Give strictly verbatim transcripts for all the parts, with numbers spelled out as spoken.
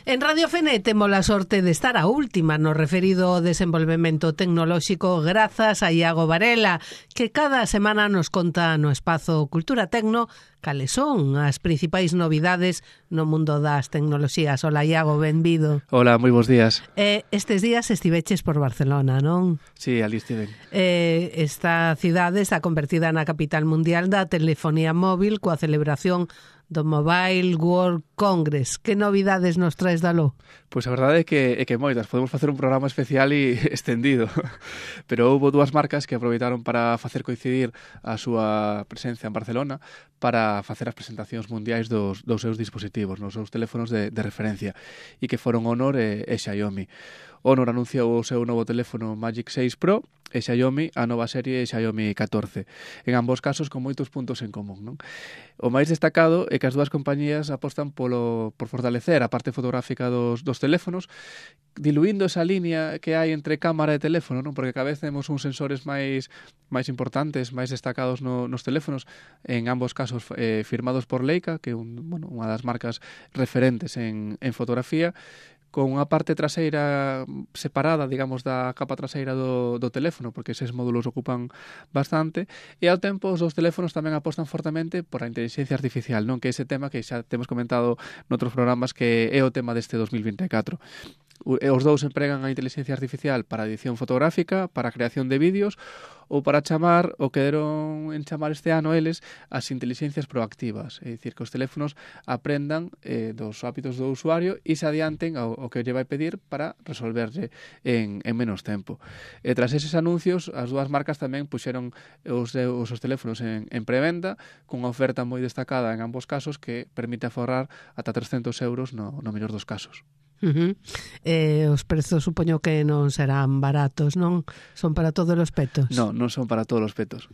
En Radio Fene temos a sorte de estar a última no referido ao desenvolvemento tecnolóxico grazas a Iago Varela, que cada semana nos conta no espazo Cultura Tecno cales son as principais novidades no mundo das tecnoloxías. Ola, Iago, benvido. Hola, moi bons días. Eh, estes días estiveches por Barcelona, non? Sí, ali estiven. Eh, esta cidade está convertida na capital mundial da telefonía móvil coa celebración do Mobile World Congress. Que novidades nos traes dalo? Pois a verdade é que, é que moitas. Podemos facer un programa especial e extendido. Pero houve dúas marcas que aproveitaron para facer coincidir a súa presencia en Barcelona para facer as presentacións mundiais dos, dos seus dispositivos, nos seus teléfonos de, de referencia, e que foron Honor e, e Xiaomi. Honor anunciou o seu novo teléfono Magic seis Pro e Xiaomi a nova serie Xiaomi catorce. En ambos casos con moitos puntos en común, non? O máis destacado é que as dúas compañías apostan polo, por fortalecer a parte fotográfica dos, dos teléfonos, diluindo esa línea que hai entre cámara e teléfono, non? Porque cada vez temos uns sensores máis máis importantes, máis destacados no, nos teléfonos, en ambos casos eh, firmados por Leica, que é un, bueno, unha das marcas referentes en, en fotografía, con unha parte traseira separada, digamos, da capa traseira do, do teléfono, porque eses módulos ocupan bastante, e ao tempo os dos teléfonos tamén apostan fortemente por a inteligencia artificial, non? Que ese tema que xa temos comentado noutros programas, que é o tema deste dos mil vinte e catro. Os dous empregan a inteligencia artificial para edición fotográfica, para a creación de vídeos, ou para chamar, o que deron en chamar este ano eles, as inteligencias proactivas. É dicir, que os teléfonos aprendan eh, dos hábitos do usuario e se adianten ao, ao que lle vai pedir para resolverlle en, en menos tempo. E tras eses anuncios, as dúas marcas tamén puxeron os, os, os teléfonos en, en prevenda, cunha oferta moi destacada en ambos casos que permite aforrar ata trescentos euros no, no mellor dos casos. Uh-huh. Eh, os prezos supoño que non serán baratos, non? Son para todos os petos? Non, non son para todos os petos.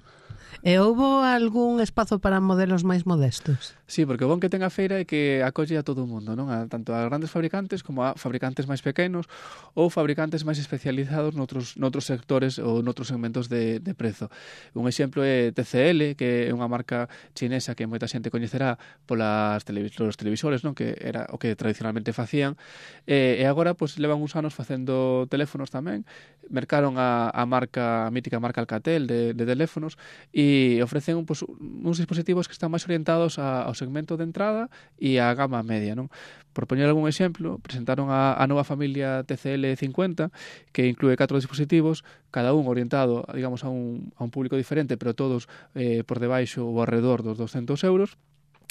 E houbo algún espazo para modelos máis modestos? Sí, porque o bon que ten a feira é que acolle a todo o mundo, non? A, tanto a grandes fabricantes como a fabricantes máis pequenos ou fabricantes máis especializados noutros, noutros sectores ou noutros segmentos de, de prezo. Un exemplo é T C L, que é unha marca chinesa que moita xente coñecerá polas televisores, televisores, non? Que era o que tradicionalmente facían. E, e agora, pois, levan uns anos facendo teléfonos tamén. Mercaron a, a marca, a mítica marca Alcatel de, de teléfonos, e ofrecen pues, uns dispositivos que están máis orientados a, ao segmento de entrada e á gama media, non? Por poñer algún exemplo, presentaron a, a nova familia T C L cincuenta, que inclúe catro dispositivos, cada un orientado, digamos, a un, a un público diferente, pero todos eh, por debaixo ou alrededor dos doscentos euros,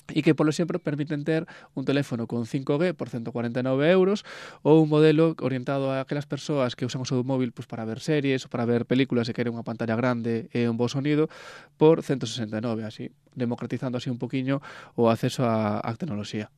e que, por exemplo, permiten ter un teléfono con cinco G por ciento cuarenta e nove euros ou un modelo orientado a aquelas persoas que usan o seu móvil pues, para ver series ou para ver películas e queren unha pantalla grande e un bo sonido por ciento sesenta e nove, así, democratizando así un poquinho o acceso á, á tecnoloxía.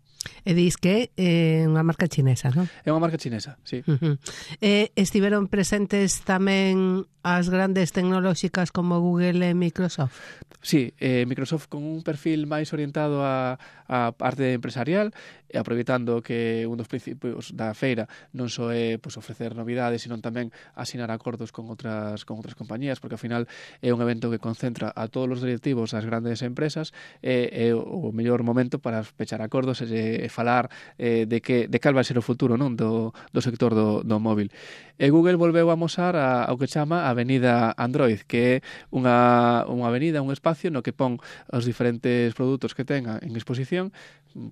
E dis que é unha marca chinesa, non? É unha marca chinesa, sí. Uh-huh. E estiveron presentes tamén as grandes tecnolóxicas como Google e Microsoft? Sí, eh, Microsoft con un perfil máis orientado a, a parte empresarial, e aproveitando que un dos principios da feira non só é pues, ofrecer novidades, sino tamén asinar acordos con outras con outras compañías, porque ao final é un evento que concentra a todos os directivos das grandes empresas, e é o mellor momento para pechar acordos e, e falar eh, de que de cal vai ser o futuro, non, do, do sector do, do móvil. E Google volveu a amosar a, ao que chama Avenida Android, que é unha, unha avenida, un espacio no que pon os diferentes produtos que tenga en exposición,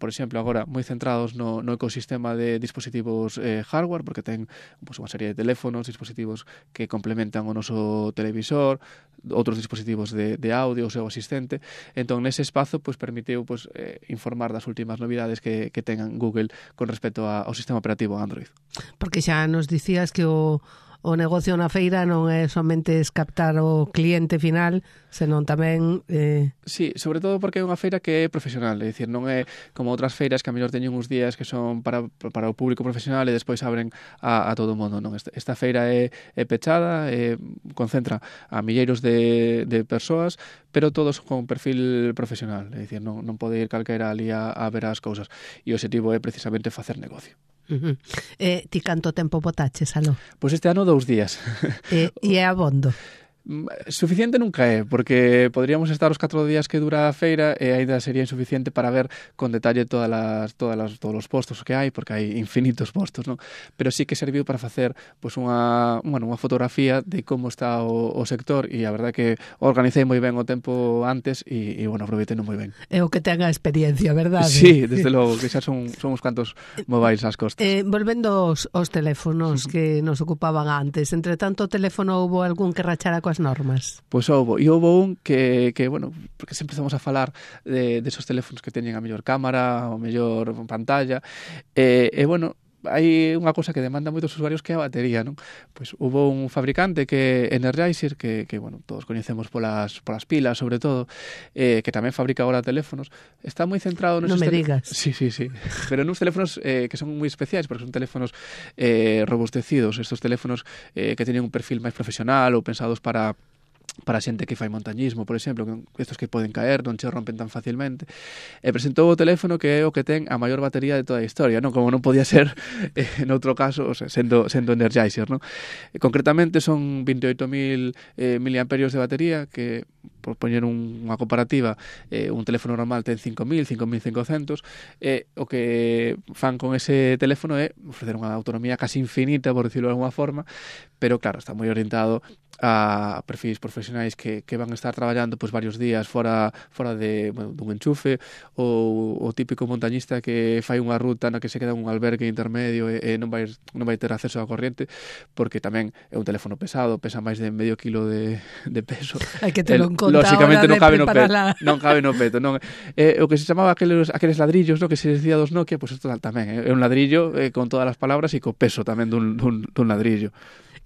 por exemplo, agora moi centrados no, no ecosistema de dispositivos eh, hardware, porque ten pues, unha serie de teléfonos, dispositivos que complementan o noso televisor, outros dispositivos de, de audio, o seu asistente. Entón, nese espazo, pues, permitiu pues, eh, informar das últimas novidades que, que tengan Google con respecto a, ao sistema operativo Android. Porque xa nos dicías que o o negocio na feira non é somente captar o cliente final, senón tamén... Eh... Sí, sobre todo porque é unha feira que é profesional, é dicir, non é como outras feiras que a mellor teñen uns días que son para, para o público profesional e despois abren a, a todo o mundo, non? Esta, esta feira é, é pechada, é, concentra a milleiros de, de persoas, pero todos con perfil profesional, é dicir, non, non pode ir calquera ali a, a ver as cousas, e o objetivo é precisamente facer negocio. Uh-huh. Eh, ti canto tempo botaches, aló? Pois este ano dous días. E, e é abondo? Suficiente nunca é, porque poderíamos estar os catro días que dura a feira e aínda sería insuficiente para ver con detalle todas as, todas as, todos os postos que hai, porque hai infinitos postos, non? Pero sí que serviu para facer pois, unha, bueno, unha fotografía de como está o, o sector, e a verdade que organicei moi ben o tempo antes e, e bueno, aproveitei moi ben. É o que ten a experiencia, verdade? Sí, desde logo, que xa son, son uns cantos mobiles ás costas. Eh, volvendo aos, aos teléfonos que nos ocupaban antes, entre tanto o teléfono houbo algún que rachara coas normas? Pois houbo, e houbo un que, que bueno, porque sempre estamos a falar de, de esos teléfonos que teñen a mellor cámara, a mellor pantalla, e, e bueno, hai unha cousa que demanda moitos usuarios que é a batería, non? Pois hubo un fabricante que Energizer, que, que bueno, todos coñecemos polas, polas pilas, sobre todo, eh, que tamén fabrica agora teléfonos, está moi centrado nos... Non me digas. Sí, sí, sí. Pero nuns teléfonos eh, que son moi especiais, porque son teléfonos eh, robustecidos, estos teléfonos eh, que teñen un perfil máis profesional ou pensados para... para xente que fai montañismo, por exemplo, estos que poden caer, non che rompen tan facilmente. E presentou o teléfono que é o que ten a maior batería de toda a historia, non? Como non podía ser eh, en outro caso, o sea, sendo, sendo Energizer, non? E, concretamente son veintioito mil eh, miliamperios de batería, que, por poñer un, unha comparativa, eh, un teléfono normal ten cinco mil, cinco mil cincocentos, e eh, o que fan con ese teléfono é ofrecer unha autonomía casi infinita, por decirlo de alguna forma, pero claro, está moi orientado a perfis profesionais que, que van a estar traballando pois, varios días fora, fora de, bueno, dun enchufe, ou o típico montañista que fai unha ruta na que se queda un albergue intermedio e, e non, vai, non vai ter acceso á corriente, porque tamén é un teléfono pesado, pesa máis de medio kilo de, de peso. Hai que te lo contar lógicamente non cabe no peto, la... non cabe no peto, non. Eh, o que se chamaba aqueles, aqueles ladrillos, no, que se decía dos Nokia, pois pues isto tamén é un ladrillo eh, con todas as palabras e co peso tamén dun, dun, dun ladrillo.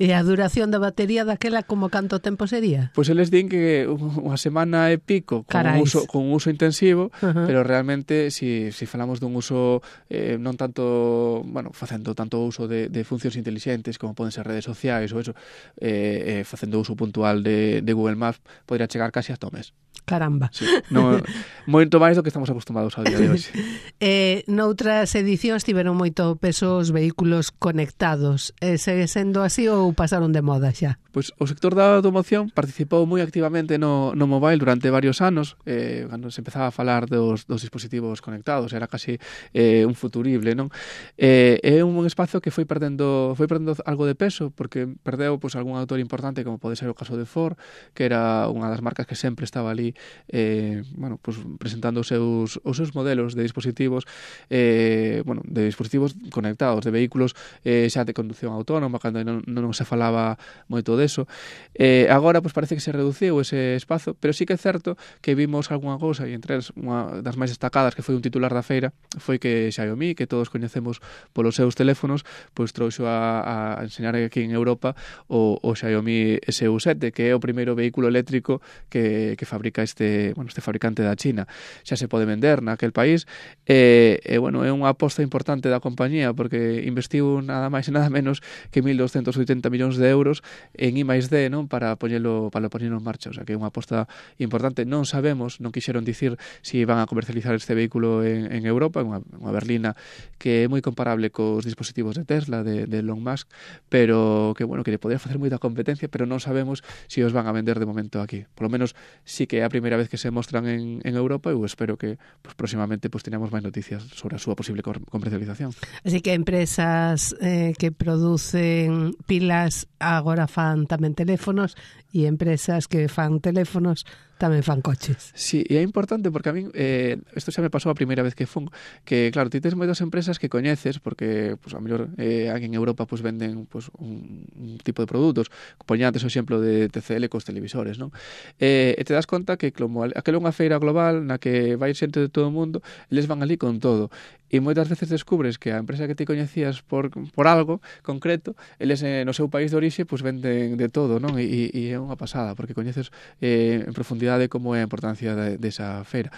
E a duración da batería daquela como canto tempo sería? Pois eles din que unha semana e pico con un uso, con un uso intensivo, uh-huh. Pero realmente si, si falamos dun uso eh, non tanto, bueno, facendo tanto uso de, de funcións intelixentes como poden ser redes sociais ou eso, eh, eh, facendo uso puntual de, de Google Maps, podría chegar casi hasta o mes. Caramba. Sí, no, moito máis do que estamos acostumados ao día de hoxe. eh, noutras edicións tiveron moito peso os vehículos conectados. Eh, segue sendo así ou pasaron de moda xa? Pois o sector da automoción participou moi activamente no, no mobile durante varios anos, eh, cando se empezaba a falar dos, dos dispositivos conectados, era casi eh, un futurible, non? Eh, é un espazo que foi perdendo foi perdendo algo de peso, porque perdeu pois, algún autor importante, como pode ser o caso de Ford, que era unha das marcas que sempre estaba ali eh, bueno, pues, presentando os seus, os seus modelos de dispositivos eh, bueno, de dispositivos conectados, de vehículos eh, xa de conducción autónoma, cando non, non se falaba moito deso. Eh, agora pues, parece que se reduciu ese espazo, pero sí que é certo que vimos algunha cousa, e entre unha das máis destacadas que foi un titular da feira foi que Xiaomi, que todos coñecemos polos seus teléfonos, pois trouxo a, a enseñar aquí en Europa o, o Xiaomi S U sete, que é o primeiro vehículo eléctrico que, que fabrica este, bueno, este fabricante da China. Xa se pode vender naquel país e, e bueno, é unha aposta importante da compañía, porque investiu nada máis e nada menos que mil doscientos oitenta millóns de euros en I máis D, non, para poñelo para poñelo en marcha, o sea, que é unha aposta importante. Non sabemos, non quixeron dicir si van a comercializar este vehículo en, en Europa, unha, unha berlina que é moi comparable cos dispositivos de Tesla, de, de Elon Musk, pero que, bueno, que lle podría facer moita competencia, pero non sabemos si os van a vender de momento aquí. Por lo menos, sí que é a primeira vez que se mostran en, en Europa, e eu espero que pues, próximamente pues, teñamos máis noticias sobre a súa posible comercialización. Así que empresas eh, que producen pilas agora fan tamén teléfonos, e empresas que fan teléfonos tamén fan coches. Sí, e é importante porque a min eh, isto xa me pasou a primeira vez que fun, que claro, ti tes moitas empresas que coñeces porque pues, a mellor eh, aquí en Europa pues, venden pues, un, un tipo de produtos, poña antes o exemplo de T C L cos televisores, non? Eh, e te das conta que como aquela é unha feira global na que vai xente de todo o mundo, eles van ali con todo, e moitas veces descubres que a empresa que ti coñecías por, por algo concreto, eles eh, no seu país de orixe pues, venden de todo, non? E, e é unha pasada, porque coñeces eh, en profundidade como é a importancia de, desa feira.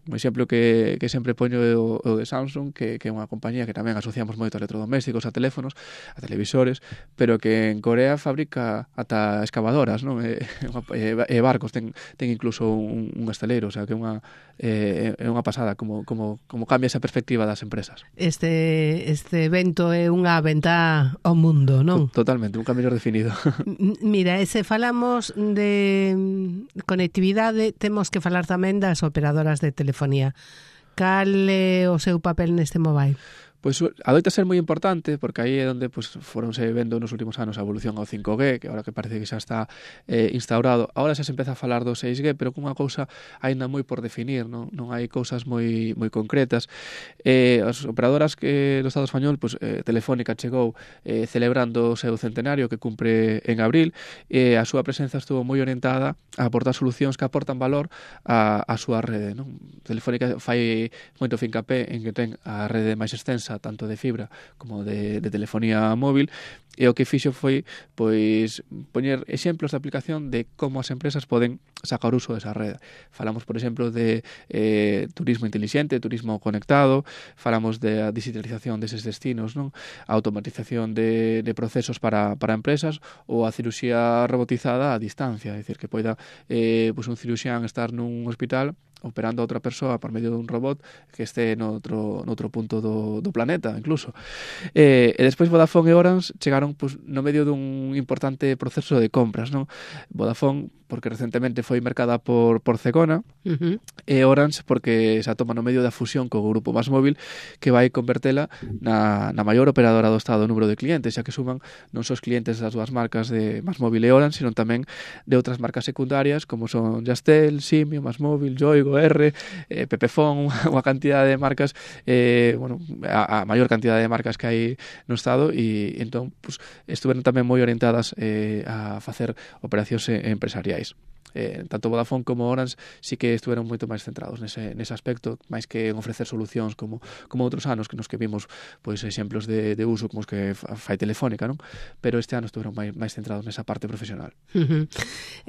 Un exemplo que, que sempre poño é o, o de Samsung, que, que é unha compañía que tamén asociamos moito a electrodomésticos, a teléfonos, a televisores, pero que en Corea fabrica ata excavadoras, non? E, e, e barcos, ten, ten incluso un, un estaleiro, o sea, que é unha, é, é unha pasada como, como, como cambia esa perspectiva das empresas. Este, este evento é unha venta ao mundo, non? Totalmente, nunca mellor definido. Mira, ese falamos falamos de conectividade, temos que falar tamén das operadoras de telefonía. Cal é o seu papel neste mobile? Pois adoita ser moi importante, porque aí é onde pues, foronse vendo nos últimos anos a evolución ao cinco G, que agora que parece que xa está eh, instaurado. Agora xa se empeza a falar do seis G, pero cunha cousa aínda moi por definir, non, non hai cousas moi moi concretas. Eh, as operadoras que do Estado español, pues, eh, Telefónica chegou eh, celebrando o seu centenario que cumpre en abril, e eh, a súa presenza estuvo moi orientada a aportar solucións que aportan valor a, a súa rede, non? Telefónica fai moito fincapé en que ten a rede máis extensa tanto de fibra como de, de telefonía móvil, e o que fixo foi pois poñer exemplos de aplicación de como as empresas poden sacar uso desa rede. Falamos, por exemplo, de eh, turismo inteligente, turismo conectado, falamos de a digitalización deses destinos, non? A automatización de, de procesos para, para empresas, ou a cirurxía robotizada a distancia, é dicir, que poida eh, pois un ciruxián estar nun hospital operando a outra persoa por medio dun robot que este noutro, noutro punto do, do planeta, incluso. Eh, e despois Vodafone e Orange chegaron pues, no medio dun importante proceso de compras, non? Vodafone, porque recentemente foi mercada por, por Cegona, uh-huh. e Orange, porque se atoma no medio da fusión co grupo MásMóvil, que vai convertela na, na maior operadora do Estado número de clientes, xa que suman non só os clientes das dúas marcas de MásMóvil e Orange, sino tamén de outras marcas secundarias, como son Yastel, Simio, MásMóvil, Yoigo, R, eh, Pepefon, unha cantidad de marcas, eh, bueno, a, a maior cantidad de marcas que hai no Estado, e entón pues, estuveron tamén moi orientadas eh, a facer operacións empresariais. Eh, tanto Vodafone como Orange sí que estuveron moito máis centrados nese, nese aspecto, máis que en ofrecer solucións como, como outros anos que nos que vimos pois exemplos de, de uso como os que fai Telefónica, non? Pero este ano estuveron máis, máis centrados nesa parte profesional. Uh-huh.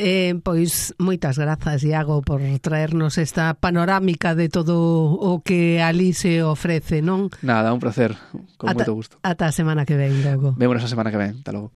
Eh, pois moitas grazas, Iago, por traernos esta panorámica de todo o que ali se ofrece, non? Nada, un placer, con ata, moito gusto. Ata a semana que ven, logo. Vémonos a semana que ven, ata logo.